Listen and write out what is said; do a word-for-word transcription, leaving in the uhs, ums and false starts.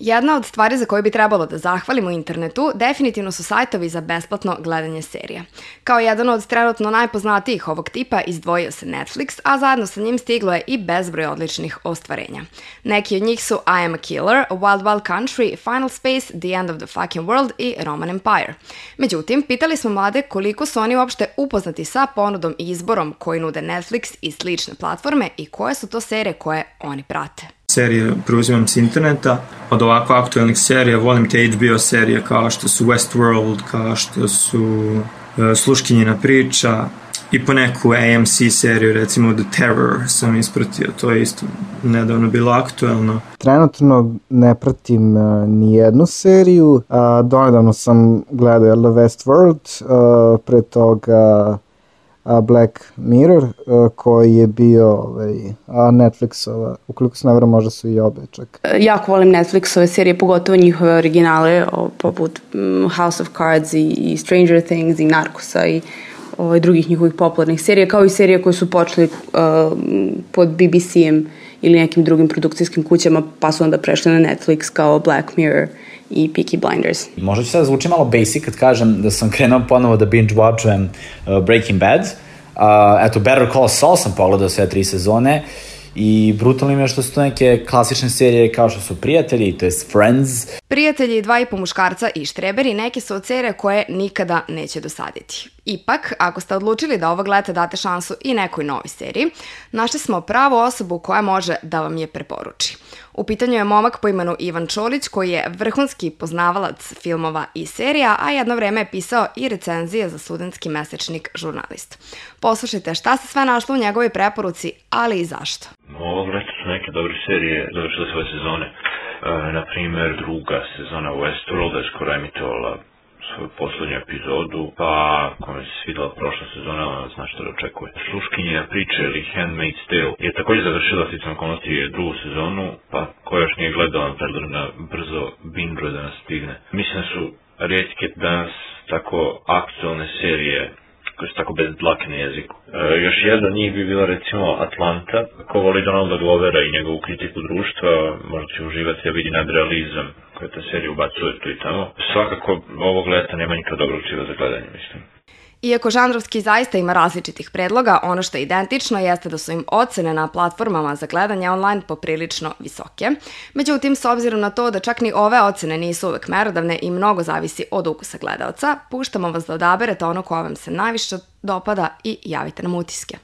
Jedna od stvari za koju bi trebalo da zahvalimo internetu definitivno su sajtovi za besplatno gledanje serija. Kao jedan od trenutno najpoznatijih ovog tipa izdvojio se Netflix, a zajedno sa njim stiglo je i bezbroj odličnih ostvarenja. Neki od njih su I Am a Killer, Wild Wild Country, Final Space, The End of the Fucking World i Roman Empire. Međutim, pitali smo mlade koliko su oni uopšte upoznati sa ponudom i izborom koji nude Netflix i slične platforme i koje su to serije koje oni prate. Serije preuzimam s interneta. Od ovako aktualnih serija volim te H B O serije kao što su Westworld, kao što su uh, Sluškinjina priča i po neku A M C seriju, recimo The Terror sam ispratio, to je isto nedavno bilo aktuelno. Trenutno ne pratim uh, ni jednu seriju, uh, donedavno sam gledao Westworld, uh, pre toga Black Mirror, koji je bio ovaj, Netflixova, ukoliko se ne vrlo možda su i obe čak. Jako volim Netflixove serije, pogotovo njihove originale, poput House of Cards i, i Stranger Things i Narcosa i ovaj, drugih njihovih popularnih serija, kao i serije koje su počeli uh, pod B B C-em ili nekim drugim produkcijskim kućama, pa su onda prešli na Netflix kao Black Mirror i Peaky Blinders. Možda ću sad zvuči malo basic kad kažem da sam krenuo ponovo da binge-watchujem uh, Breaking Bad. Uh, eto, Better Call Saul sam pogledao sve tri sezone i brutalno im je što su to neke klasične serije kao što su Prijatelji, to jest Friends. Prijatelji, Dva i po muškarca i Štreberi neke su od serije koje nikada neće dosaditi. Ipak, ako ste odlučili da ovog leta date šansu i nekoj novoj seriji, našli smo pravu osobu koja može da vam je preporuči. U pitanju je momak po imenu Ivan Čolić, koji je vrhunski poznavalac filmova i serija, a jedno vreme je pisao i recenzije za studentski mesečnik Žurnalist. Poslušajte šta se sve našlo u njegovoj preporuci, ali i zašto. Ovog leta su neke dobre serije završile svoje sezone. E, na primjer, druga sezona Westworlda je skoro emitovala svoju poslednju epizodu, pa kome se svidela prošla sezona, zna što da očekuje. Sluškinjina priča ili Handmaid's Tale je također završila sticam okolnosti drugu sezonu, pa ko još nije gledala, predlažem da brzo binge da nas stigne. Mislim da su rijetke danas tako aktualne serije koje su tako bez dlake na jeziku. E, još jedna od njih bi bila recimo Atlanta. Ko voli Donalda Glovera i njegovu kritiku društva, možda će uživati da vidi nadrealizam koje ta serija ubacuje tu i tamo. Svakako ovog leta nema nikad dobrog čiva za gledanje, mislim. Iako žanrovski zaista ima različitih predloga, ono što je identično jeste da su im ocene na platformama za gledanje online poprilično visoke. Međutim, s obzirom na to da čak ni ove ocene nisu uvek merodavne i mnogo zavisi od ukusa gledaoca, puštamo vas da odaberete ono koje vam se najviše dopada i javite nam utiske.